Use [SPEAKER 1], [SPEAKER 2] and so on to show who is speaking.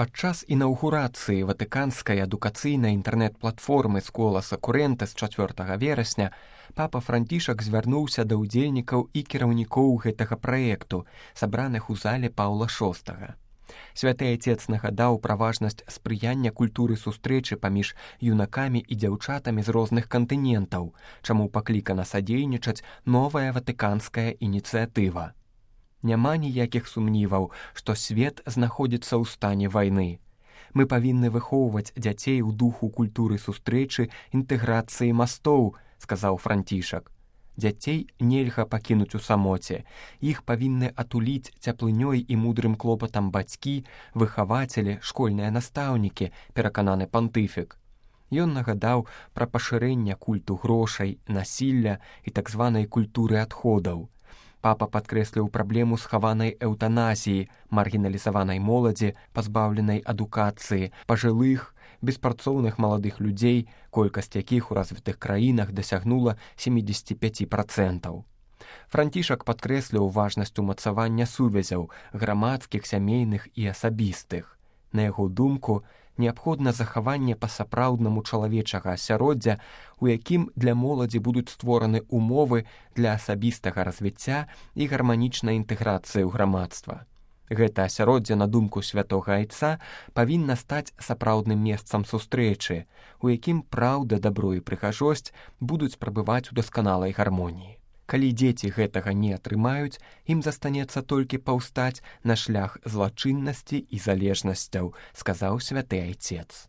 [SPEAKER 1] Падчас інаўгурацыі ватыканскай адукацыйнай інтэрнэт-платформы «Скола Сакурэнте» з 4 верасня папа Францішак звярнуўся да ўдзельнікаў і кіраўнікоў гэтага праекту, сабраных у зале Паўла VI. Святы Айцец нагадаў пра важнасць спрыяння культуры сустрэчы паміж юнакамі і дзяўчатамі з розных кантынентаў, чаму паклікана садзейнічаць новая ватыканская ініцыятыва. Няма ніякіх сумніваў, што свет знаходзіцца ў стане вайны. Мы павінны выхоўваць дзяцей у духу культуры сустрэчы, інтэграцыі мастоў, сказаў Францішак. Дзяцей нельга пакінуць у самоце. Іх павінны атуліць цяплынёй і мудрым клопатам бацькі, выхавацелі, школьныя настаўнікі, перакананы пантыфік. Ён нагадаў пра пашырэнне культу грошай, насілля і так званай культуры адходаў. Папа падкрэсліў праблему схаванай эўтаназіі, маргіналізаванай моладзі, пазбаўленай адукацыі, пажылых, беспрацоўных маладых людзей, колькасць якіх у развітых краінах дасягнула 75%. Францішак падкрэсліў важнасць умацавання сувязяў грамадскіх, сямейных і асабістых. На яго думку, неабходна захаванне па-сапраўднаму чалавечага асяроддзя, у якім для моладзі будуць створаны умовы для асабістага развіцця і гарманічнай інтэграцыі ў грамадства. Гэта асяроддзе, на думку святога Айца, павінна стаць сапраўдным месцам сустрэчы, у якім праўда, дабро і прыгажосць будуць прабываць у дасканалай гармоніі. Калі дзеці гэтага не атрымаюць, ім застанецца толькі паўстаць на шлях злачыннасці і залежнасцяў, сказаў святы Айцец.